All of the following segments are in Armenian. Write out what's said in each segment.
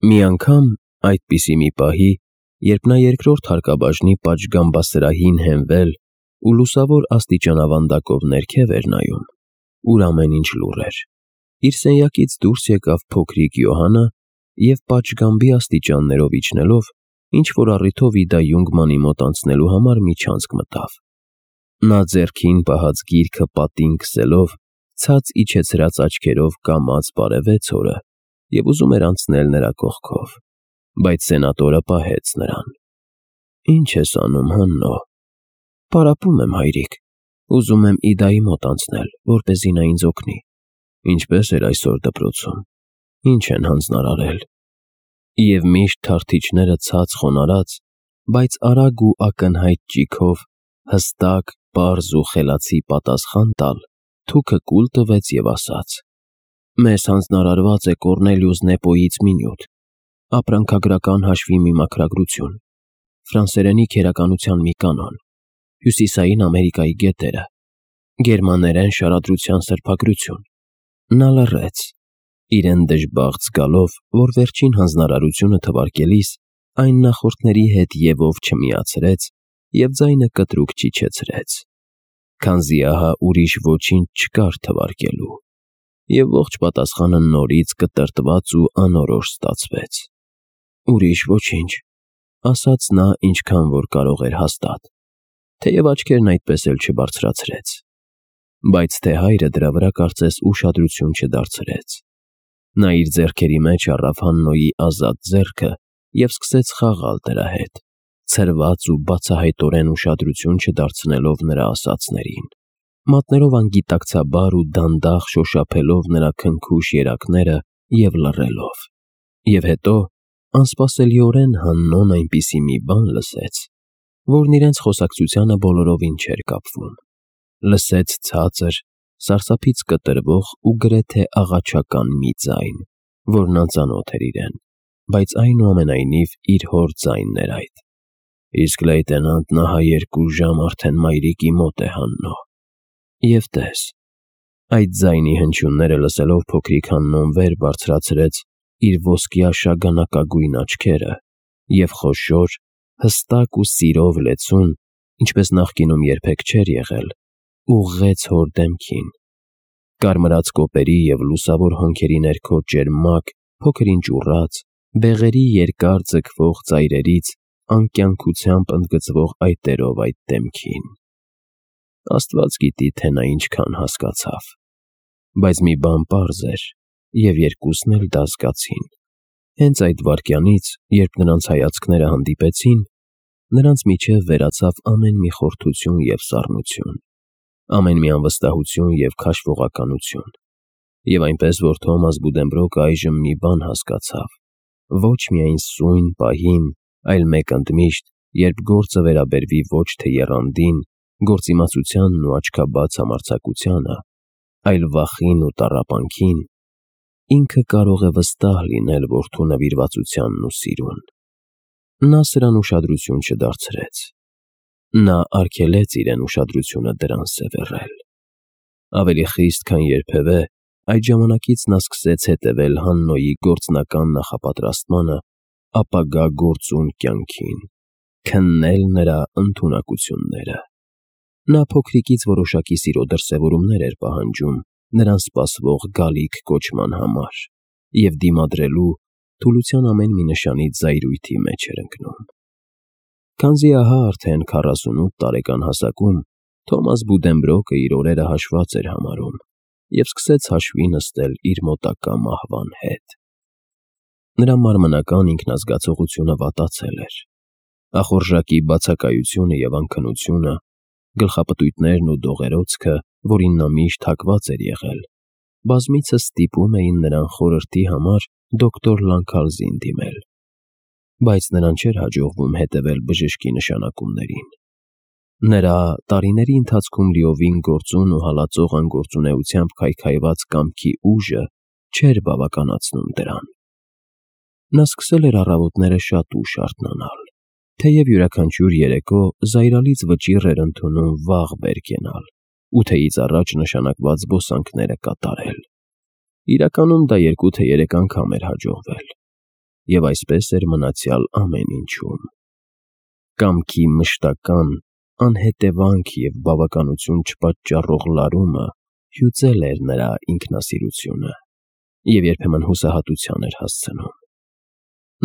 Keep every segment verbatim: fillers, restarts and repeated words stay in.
Մի անգամ, այդպիսի մի պահի, երբ նա երկրորդ հարկաբաժնի պատշգամբասրահին հենվել ու լուսավոր աստիճանավանդակով ներքև էր նայում, ուր ամեն ինչ լուռ էր, իր սենյակից դուրս եկավ փոքրիկ Յոհանը և պատշգամբի աստիճաններով իջնելով, ինչ-որ առիթով Իդա Յունգմանի մոտ անցնելու համար միջանցք մտավ։ Նա ձեռքին պահած գիրքը պատին քսելով, ցած իջեցրած աչքերով կամաց բարևեց հորը և ուզում էր անցնել նրա կողքով, բայց սենատորը պահեց նրան։ «Ի՞նչ ես անում, Հաննո»։ «Պարապում եմ, հայրիկ, ուզում եմ Իդայի մոտ անցնել, որպեսզի նա ինձ օգնի»։ «Ինչպե՞ս էր այսօր դպրոցում, ի՞նչ են հանձնարարել»։ Եվ միշտ թարթիչները ցած խոնարհած, բայց արագ ու ակնհայտ ճիգով հստակ, պարզ ու խելացի պատասխան տալ, թուքը կուլ տվեց և ասաց. «Մեզ հանձնարարված է Կոռնելիուս Նեպոյից մի նյութ, ապրանքագրական հաշվի մի մաքրագրություն, ֆրանսերենի քերականության մի կանոն, Հյուսիսային Ամերիկայի գետերը, գերմաներեն շարադրության սրբագրություն»։ Նա լռեց, իրեն դժբախտ զգալով, որ վերջին հանձնարարությունը թվարկելիս այն նախորդների հետ ևով չմիացրեց և ձայնը կտրուկ չիջեցրեց, քանզի ահա ուրիշ ոչինչ չկար թվարկելու, և ողջ պատասխանը նորից կտրտված ու անորոշ ստացվեց։ «Ուրիշ ոչինչ», ասաց նա ինչքան որ կարող էր հաստատ, թեև աչքերն այդպես էլ չբարձրացրեց, բայց թե հայրը դրա վրա կարծես ուշադրություն չդարձրեց։ Նա իր ձեռքերի մեջ առավ Հաննոյի ազատ ձեռքը և սկսեց խաղալ դրա հետ, ցրված ու բացահայտորեն ուշադրություն չդարձնելով նրա ասածներին, մատներով անգիտակցաբար ու դանդաղ շոշափելով նրա քնքուշ երակները և լռելով։ Եվ հետո, անսպասելիորեն Հաննոն այնպիսի մի բան լսեց, որն իրենց խոսակցությանը բոլորովին չէր կապվում։ Լսեց ցածր, սարսափից կտրվող ու գրեթե աղաչական մի ձայն, որն անծանոթ էր իրեն, բայց այնուամենայնիվ իր հոր ձայնն էր այդ։ «Իսկ լեյտենանտն ահա երկու ժամ արդեն մայրիկի մոտ է, Հաննո»։ Եվ տես, այդ ձայնի հնչյունները լսելով փոքրիկ Հաննոն վեր բարձրացրեց իր ոսկյա շագանակագույն աչքերը և խոշոր, հստակ ու սիրով լեցուն, ինչպես նախկինում երբեք չէր եղել, ուղղեց հոր դեմքին։ Կարմրած կոպերի և լուսավոր հոնքերի ներքո ճերմակ, փոքր ինչ ուռած, բեղերի երկար ձգվող ծայրերից անկյանքությամբ ընդգծվող այտերով այդ դեմքին։ Աստված գիտի, թե նա ինչքան հասկացավ, բայց մի բան պարզ էր, և երկուսն էլ դա զգացին։ Հենց այդ վայրկյանից, երբ նրանց հայացքները հանդիպեցին, նրանց միջև վերացավ ամեն մի խորթություն և սառնություն, ամեն մի անվստահություն և քաշվողականություն, և այնպես որ Թոմաս Բուդենբրոկը այժմ մի բան հասկացավ, ոչ միայն սույն պահին, այլ մեկ ընդմիշտ, երբ գործը վերաբերվի ոչ թե եռանդին, գործիմացությանն ու աչքաբաց համարձակությանը, այլ վախին ու տառապանքին, ինքը կարող է վստահ լինել որդու նվիրվածությանն ու սիրուն։ Նա սրան ուշադրություն չդարձրեց։ Նա արգելեց իրեն ուշադրությունը դրան սևեռել։ Ավելի խիստ, քան երբևէ, այդ ժամանակից նա սկսեց հետևել Հաննոյի գործնական նախապատրաստմանը ապագա գործուն կյանքին, քննել նրա ընդունակությունները։ Նա փոքրիկից որոշակի սիրո դրսևորումներ էր պահանջում նրան սպասվող գալիք կոչման համար և դիմադրելու, թուլության ամեն մի նշանից զայրույթի մեջ էր ընկնում։ Քանզի ահա արդեն քառասունութ տարեկան հասակում Թոմաս Բուդենբրոկը իր օրերը հաշված էր համարում և սկսեց հաշվի նստել իր մոտակա մահվան հետ։ Նրա մարմնական ինքնազգացողությունը վատացել էր։ Ախորժակի բացակայությունը և անքնությունը, գլխապտույտներն ու դողերոցքը, որին նա միշտ հակված էր եղել, բազմիցս ստիպում էին նրան խորհրդի համար դոկտոր Լանքալզին դիմել, բայց նրան չէր հաջողվում հետևել բժշկի նշանակումներին։ Նրա տարիների ընթացքում լիովին գործուն ու հալածող անգործունեությամբ քայքայված կամքի ուժը չէր բավականացնում դրան։ Նա սկսել էր առավոտները շատ ուշ արթնանալ, թեև յուրաքանչյուր երեկո զայրալից վճիռ էր ընդունում վաղ վեր կենալ, ութեից առաջ նշանակված զբոսանքները կատարել։ Իրականում դա երկու թե երեք անգամ էր հաջողվել։ և այսպես էր մնացյալ ամեն ինչում։ Կամքի մշտական, անհետևանք և բավականություն չպատճառող լարումը հյուծել էր նրա ինքնասիրությունը և երբեմն հուսահատության էր հասցնում։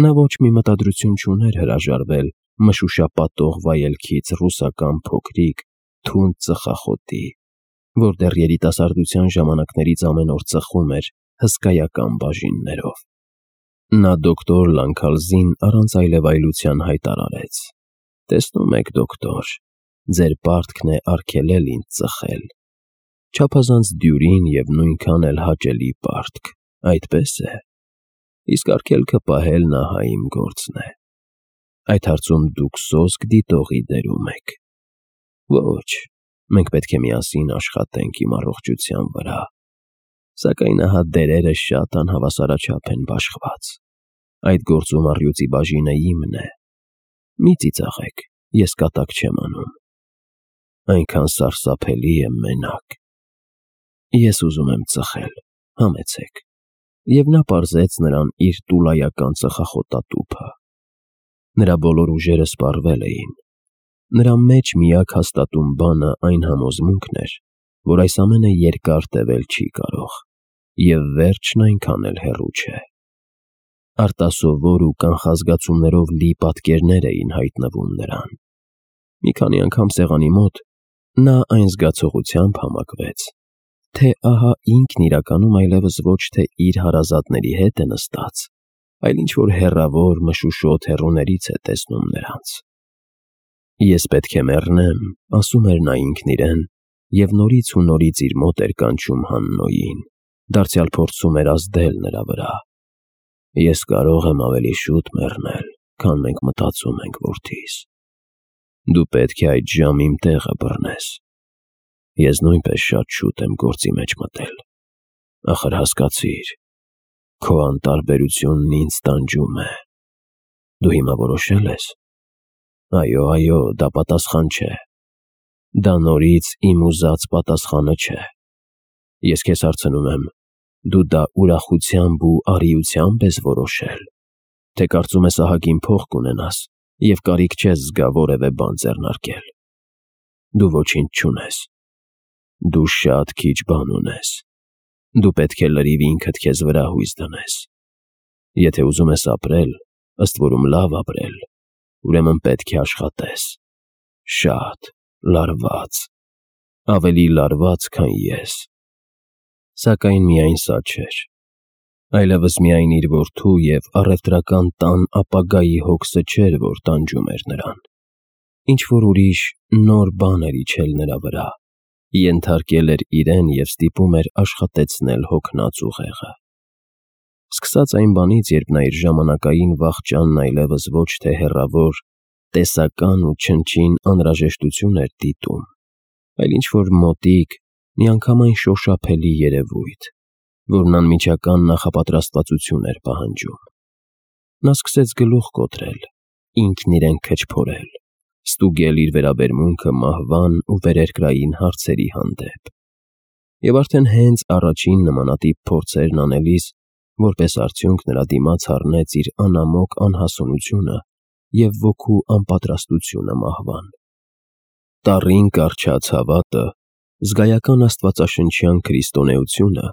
Նա ոչ մի մտադրություն չուներ հրաժարվել մշուշապատող վայելքից ռուսական փոքրիկ, թունդ ծխախոտի, որ դեռ երիտասարդության ժամանակներից ամեն օր ծխում էր հսկայական բաժիններով։ Նա դոկտոր Լանքալզին առանց այլևայլության հայտարարեց. «Տեսնում եք, դոկտոր, ձեր պարտքն է արգելել ինձ ծխել։ Չափազանց դյուրին և նույնքան էլ հաճելի պարտք, այդպես է։ Իսկ արգելքը պահելն ահա իմ գործն է։ Այդ հարցում դուք սոսկ դիտողի դերում եք։ Ոչ, մենք պետք է միասին աշխատենք իմ առողջության վրա։ Սակայն ահա դերերը շատ անհավասարաչափ են բաշխված։ Այդ գործում առյուծի բաժինը իմն է։ Մի ծիծաղեք, ես կատակ չեմ անում։ Այնքան սարսափելի է մենակ։ Ես ուզում եմ ծխել, համեցեք»։ Եվ նա պարզեց նրան իր տուլայական ծխախոտատուփը։ Նրա բոլոր ուժերը սպառվել էին։ Նրա մեջ միակ հաստատուն բանը այն համոզմունքն էր, որ այս ամենը երկար տևել չի կարող, և վերջն այնքան էլ հեռու չէ։ Արտասովոր ու կանխազգացումներով լի պատկերներ էին հայտնվում նրան։ Մի քանի անգամ սեղանի մոտ նա այն զգացողությամբ համակվեց, թե ահա ինքն իրականում այլևս ոչ թե իր հարազատների հետ է նստած, այլ ինչ-որ հեռավոր մշուշոտ հեռուներից է տեսնում նրանց։ «Ես պետք է մեռնեմ», ասում էր նա ինքն իրեն, և նորից ու նորից իր մոտ էր կանչում Հաննոյին, դարձյալ փորձում էր ազդել նրա վրա։ «Ես կարող եմ ավելի շուտ մեռնել, քան մենք մտածում ենք, որդիս։ Դու պետք է այդ ժամ իմ տեղը բռնես։ Ես նույնպես շատ շուտ եմ գործի մեջ մտել։ Ախր հասկացիր, քո անտարբերությունն ինձ տանջում է։ Դու հիմա որոշել ես։ Այո, այո, դա պատասխան չէ։ Դա նորից իմ ուզած պատասխանը չէ։ Ես քեզ հարցնում եմ, դու դա ուրախությամբ ու արիությամբ ես որոշել, թե կարծում ես ահագին փող կունենաս և կարիք չես զգա որևէ բան ձեռնարկել։ Դու ոչինչ չունես։ Դու շատ քիչ բան ունես։ Դու պետք է լրիվ ինքդ քեզ վրա հույս դնես։ Եթե ուզում ես ապրել, ըստ որում լավ ապրել, ուրեմն պետք է աշխատես։ Շատ, լարված, ավելի լարված, քան ես։ Սակայն միայն սա չէր։ Այլևս միայն իր որդու և առևտրական տան ապագայի հոգսը չէր, որ տանջում էր նրան։ Ինչ-որ ուրիշ նոր բան էր իջել նրա վրա, ենթարկել էր իրեն և ստիպում էր աշխատեցնել հոգնած ուղեղը։ Սկսած այն բանից, երբ նա իր ժամանակային վախճանն այլևս ոչ թե հեռավոր, տեսական ու չնչին անհրաժեշտություն էր դիտում, այլ ինչ-որ մոտիկ, միանգամայն շոշափելի երևույթ, որն անմիջական նախապատրաստվածություն էր պահանջում։ Նա սկսեց գլուխ կոտրել, ինքն իրեն քչփորել, ստուգել իր վերաբերմունքը մահվան ու վերերկրային հարցերի հանդեպ։ Եվ արդեն հենց առաջին նմանատիպ փորձերն անելիս, որպես արդյունք նրա դիմաց առնեց իր անամոք անհասունությունը և ոգու անպատրաստությունը մահվան։ Տառին կառչած հավատը, զգայական աստվածաշնչյան քրիստոնեությունը,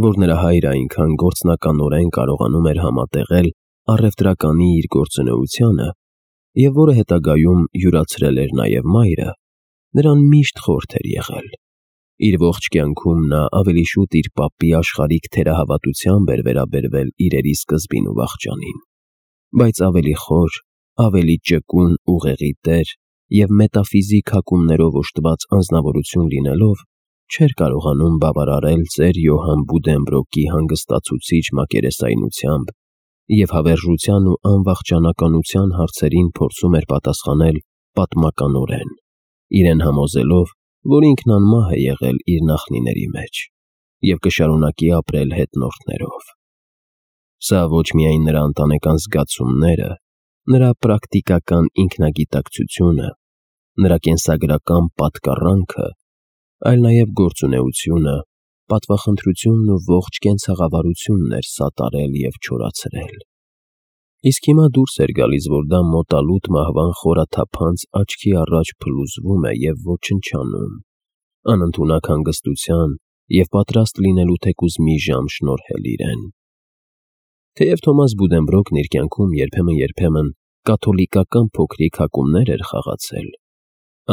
որ նրա հայրը այնքան գործնականորեն կարողանում էր համատեղել առևտրականի իր գործունեությանը և որը հետագայում յուրացրել էր նաև մայրը, նրան միշտ խորթ էր եղել։ Իր ողջ կյանքում նա ավելի շուտ իր պապի աշխարհիկ թերահավատությամբ էր վերաբերվել իրերի սկզբին ու վախճանին, բայց ավելի խոր, ավելի ճկուն ուղեղի տեր և մետաֆիզիկ հակումներով օժտված անձնավորություն լինելով, չէր կարողանում բավարարել ծեր Յոհան Բուդենբրոկի հանգստացուցիչ մակերեսայնությամբ և հավերժության ու անվախճանականության հարցերին փորձում էր պատասխանել պատմականորեն, իրեն համոզելով, որ ինքն անմահ է եղել իր նախնիների մեջ և կշարունակի ապրել հետնորդներով։ Սա ոչ միայն նրա ընտանեկան զգացումները, նրա պրակտիկական ինքնագիտակցությունը, նրա կենսագրական պատկառանքը, այլ նաև գործունեությունը, պատվախնդրությունն ու ողջ կենցաղավարությունն էր սատարել և չորացրել։ Իսկ հիմա դուրս էր գալիս, որ դա մոտալուտ մահվան խորաթափանց աչքի առաջ փլուզվում է և ոչնչանում, անընդունակ հանգստության և պատրաստ լինելու թեկուզ մի ժամ շնորհել իրեն։ Թեև Թոմաս Բուդենբրոկն իր կյանքում երբեմն-երբեմն կաթոլիկական փոքրիկ հակումներ էր խաղացել,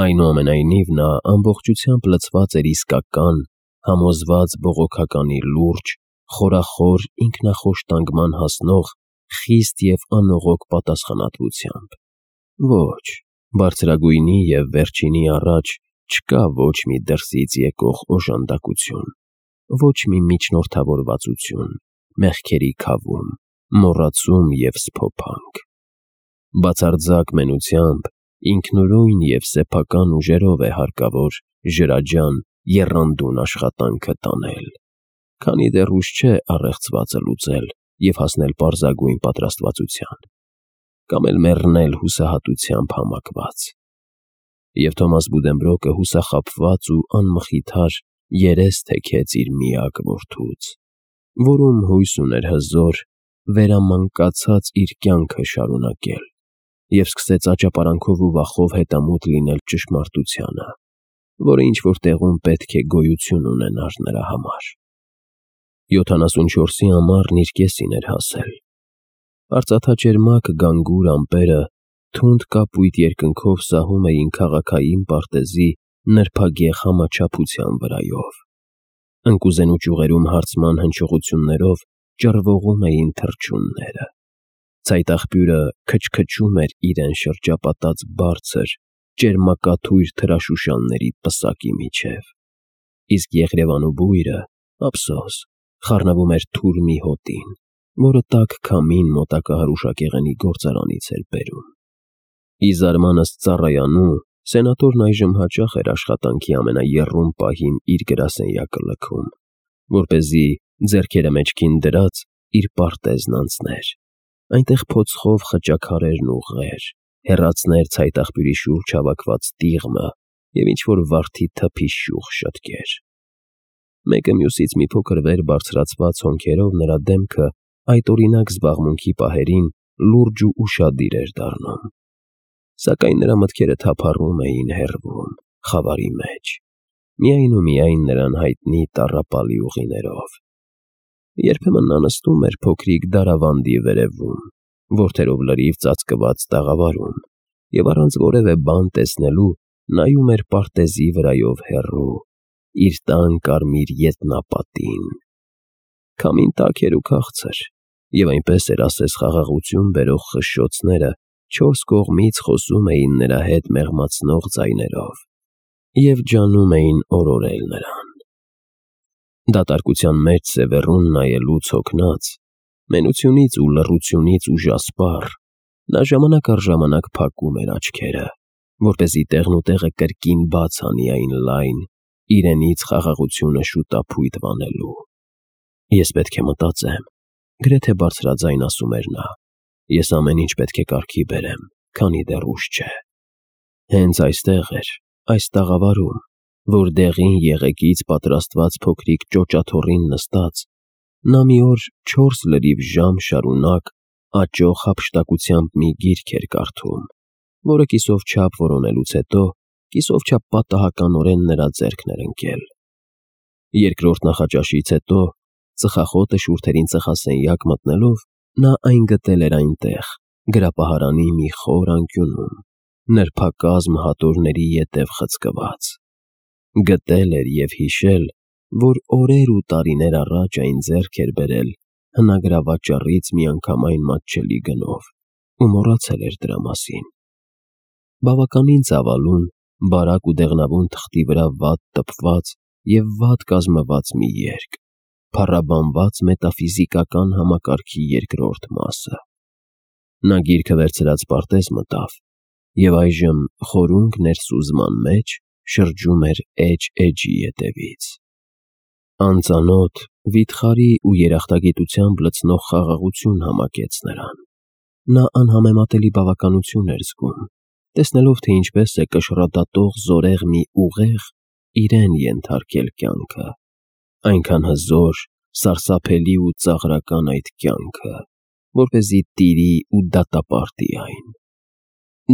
այնուամենայնիվ նա ամբողջությամբ լցված էր իսկական, համոզված բողոքականի լուրջ, խորախոր ինքնախոշտանգման հասնող խիստ և անողոք պատասխանատվությամբ։ Ոչ, բարձրագույնի և վերջինի առաջ չկա ոչ մի դրսից եկող օժանդակություն, ոչ մի միջնորդավորվածություն, մեղքերի քավում, մոռացում և սփոփանք։ Բացարձակ մենությամբ, ինքնուրույն և սեփական ուժերով է հարկավոր ջրաջան, եռանդուն աշխատանքը տանել, քանի դեռ ուշ չէ առեղծվածը լուծել և հասնել պարզագույն պատրաստվածության, կամ էլ մեռնել հուսահատությամբ համակված։ Եվ Թոմաս Բուդենբրոկը հուսախաբված ու անմխիթար երես թեքեց իր միակ որդուց, որում հույս ուներ հզոր, վերամանկացած իր կյանքը շարունակել, և սկսեց աճապարանքով ու վախով հետամուտ լինել ճշմարտությանը, որը ինչ-որ տեղում պետք է գոյություն ունենար նրա համար։ Յոթանասունչորսի ամառն իր կեսին էր հասել։ Արծաթաջերմակ գանգուր ամպերը թունդ կապույտ երկնքով սահում էին քաղաքային պարտեզի նրբագեղ համաչափության վրայով։ Ընկուզենու ճյուղերում հարծման հնչողություններով ճռվողում էին թռչունները։ Ցայտաղբյուրը քչքչում էր իրեն շրջապատած բարձր, ճերմակաթույր թրաշուշանների պսակի միջև, իսկ Եղրևանու բույրը, ափսոս, խառնվում էր թուր մի հոտին, որը տաք քամին մոտակա հրուշակեղենի գործարանից էր բերում։ Ի զարմանս ծառայանու, սենատորն այժմ հաճախ էր աշխատանքի ամենաեռում պահին իր գրասենյակը լքում, որպեսզի, ձեռքերը մեջքին դրած, իր պարտեզն անցներ, այնտեղ փոցխով խճաքարեր ուղղեր, հեռացներ ցայտաղբյուրի շուրջ հավաքված տիղմը և ինչ-որ վարդի թփի շուխ շտկեր։ Մեկը մյուսից մի փոքր վեր բարձրացված հոնքերով նրա դեմքը այդօրինակ զբաղմունքի պահերին լուրջ ու ուշադիր էր դառնում, սակայն նրա մտքերը թափառում էին, հեռվում, խավարի մեջ, միայն ու միայն նրան հայտնի տառապալի ուղիներով։ Երբեմն նա նստում էր փոքրիկ դարավանդի վերևում, որդերով լրիվ ծածկված տաղավարում, և առանց որևէ բան տեսնելու նայում էր պարտեզի վրայով հեռու, իր տան կարմիր ետնապատին։ Քամին տաք էր ու քաղցր, և այնպես էր ասես խաղաղություն բերող խշշոցները չորս կողմից խոսում էին նրա հետ մեղմացնող ձայներով և ջանում էին օրորել նրան։ Դատարկության մեջ սևեռուն նայելուց հոգնած, մենությունից ու լռությունից ուժասպառ, նա ժամանակ առ ժամանակ փակում էր աչքերը, որպեսզի տեղնուտեղը կրկին բաց անի այն լայն, իրենից խաղաղությունը շուտափույթ վանելու։ «Ես պետք է մտածեմ», գրեթե բարձրաձայն ասում էր նա, «ես ամեն ինչ պետք է կարգի բերեմ, քանի դեռ ուշ չէ»։ Հենց այստեղ էր, այս տաղավարում, որ դեղին եղեգից պատրաստված փոքրիկ ճոճաթոռին նստած, նա մի օր չորս լրիվ ժամ շարունակ աճող հափշտակությամբ մի գիրք էր կարդում, որը կիսով չափ որոնելուց հետո կիսով չափ պատահականորեն նրա ձեռքն էր ընկել։ Երկրորդ նախաճաշից հետո, ծխախոտը շուրթերին ծխասենյակ մտնելով, նա այն գտել էր այնտեղ, գրապահարանի մի խոր անկյունում, նրբակազմ հատորների ետև խցկված։ Գտել էր և հիշել, որ օրեր ու տարիներ առաջ այն ձեռք էր բերել հնագրավաճառից միանգամայն մատչելի գնով ու մոռացել էր դրա մասին։ Բավականին ծավալուն, բարակ ու դեղնավուն թղթի վրա վատ տպված և վատ կազմված մի երգ, փառաբանված մետաֆիզիկական համակարգի երկրորդ մասը։ Նա գիրքը վերցրած պարտեզ մտավ և այժմ խորունկ ներսուզման մեջ շրջում էր էջ-էջի ետևից։ Անծանոթ, վիթխարի ու երախտագիտությամբ լցնող խաղաղություն համակեց նրան։ Նա անհամեմատելի բավականություն էր զգում, տեսնելով, թե ինչպես է կշռադատող զորեղ մի ուղեղ իրեն ենթարկել կյանքը, այնքան հզոր, սարսափելի ու ծաղրական այդ կյանքը, որպեսզի տիրի ու դատապարտի այն։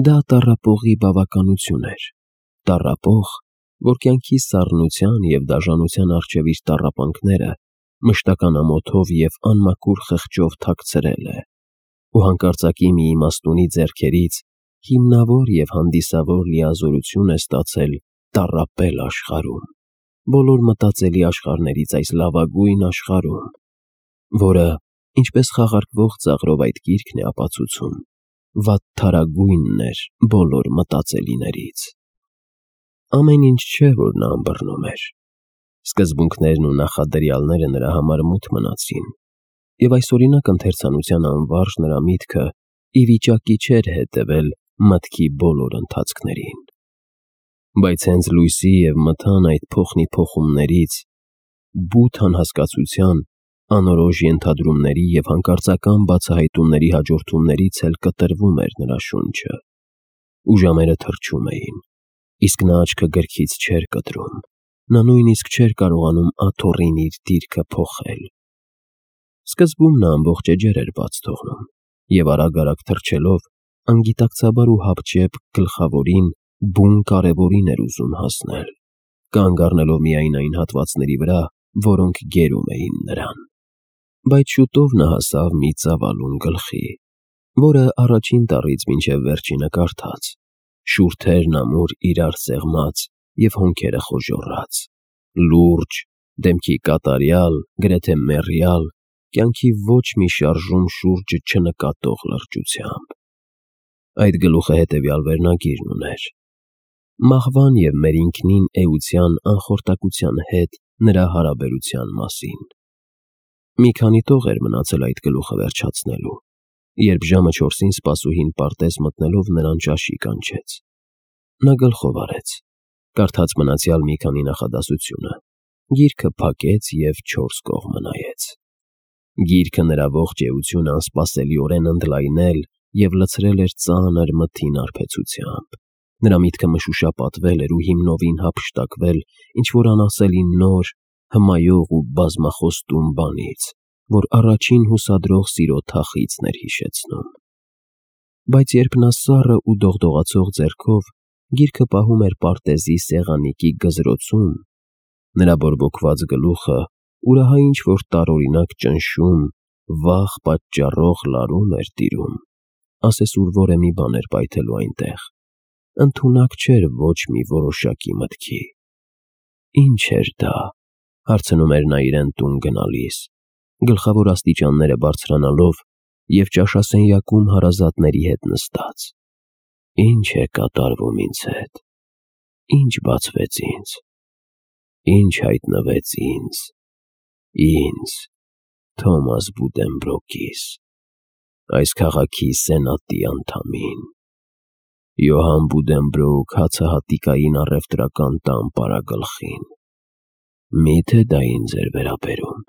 Դա տառապողի բավականություն էր, տառապող, որ կյանքի սառնության և դաժանության առջև իր տառապանքները մշտական ամոթով և անմաքուր խղճով թաքցրել է ու հանկարծակի մի իմաստունի ձեռքերից հիմնավոր և հանդիսավոր լիազորություն է ստացել տառապել աշխարհում, բոլոր մտածելի աշխարհներից այս լավագույն աշխարհում, որը, ինչպես խաղարկվող ծաղրով այդ գիրքն է ապացուցում, վատթարագույնն էր բոլոր մտածելիներից։ Ամեն ինչ չէ, որ նա ըմբռնում էր։ Սկզբունքներն ու նախադրյալները նրա համար մութ մնացին, և այսօրինակ ընթերցանության անվարժ նրա միտքը ի վիճակի չէր հետևել մտքի բոլոր ընթացքներին։ Բայց հենց լույսի և մթան այդ փոխնի-փոխումներից, բութ անհասկացության, անորոշ ենթադրումների և հանկարծական բացահայտումների հաջորդումներից էլ կտրվում էր նրա շունչը, ու ժամերը թռչում էին, իսկ նա աչքը գրքից չէր կտրում, նա նույնիսկ չէր կարողանում աթոռին իր դիրքը փոխել։ Սկզբում նա ամբողջ էջեր էր բաց թողնում և արագ-արագ թռչելով, անգիտակցաբար ու հապճեպ գլխավորին, բուն կարևորին էր ուզում հասնել, կանգ առնելով միայն այն հատվածների վրա, որոնք գերում էին նրան։ Բայց շուտով նա հասավ մի ծավալուն գլխի, որը առաջին տառից մինչև վերջինը կարդաց, շուրթերն ամուր իրար սեղմած և հոնքերը խոժոռաց, լուրջ, դեմքի կատարյալ, գրեթե մեռյալ, կյանքի ոչ մի շարժում շուրջը չնկատող լրջությամբ։ Այդ գլուխը հետևյալ վերնագիրն ուներ. «Մահվան և մեր ինքնին էության անխորտակության հետ նրա հարաբերության մասին»։ Մի քանի տող էր մնացել այդ գլուխը վերջացնելու, երբ ժամը չորսին սպասուհին պարտեզ մտնելով նրան ճաշի կանչեց։ Նա գլխով արեց, կարդաց մնացյալ մի քանի նախադասությունը, գիրքը փակեց և չորս կողմը նայեց։ Գիրքը նրա ողջ էությունը անսպասելիորեն ընդլայնել և լցրել էր ծանր մթին արբեցությամբ։ Նրա միտքը մշուշապատվել էր ու հիմնովին հափշտակվել ինչ-որ անասելի նոր, հմայող ու բազմախոստում բանից, որ առաջին հուսադրող սիրո թախիծն էր հիշեցնում։ Բայց երբ նա սառը ու դողդողացող ձեռքով գիրքը պահում էր պարտեզի սեղանիկի գզրոցում, նրա բորբոքված գլուխը ուրահա ինչ-որ տարօրինակ ճնշում, վախ պատճառող լարում էր տիրում, ասես ուրվորե մի բան էր պայթելու այնտեղ, ընդունակ չէր ոչ մի որոշակի մտքի։ Ի՞նչ էր դա, հարցնում էր նա իրեն տուն գնալիս, գլխավոր աստիճանները բարձրանալով և ճաշասենյակում հարազատների հետ նստած։ Ի՞նչ է կատարվում ինձ հետ, ի՞նչ բացվեց ինձ, ի՞նչ հայտնվեց ինձ, ինձ, Թոմաս Բուդենբրոկիս, այս քաղաքի սենատի անդամին, Յոհան Բուդենբրոկ հացահատիկային առևտրական տան պարագլխին։ Մի՞թե դա ինձ էր վերաբերում,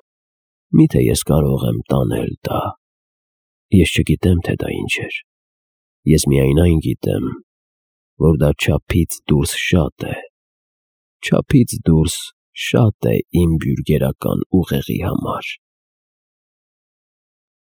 մի՞թե ես կարող եմ տանել դա։ Ես չգիտեմ, թե դա ինչ էր, ես միայն այն գիտեմ, որ դա չափից դուրս շատ է, չափից դուրս շատ է իմ բյուրգերական ուղեղի համար։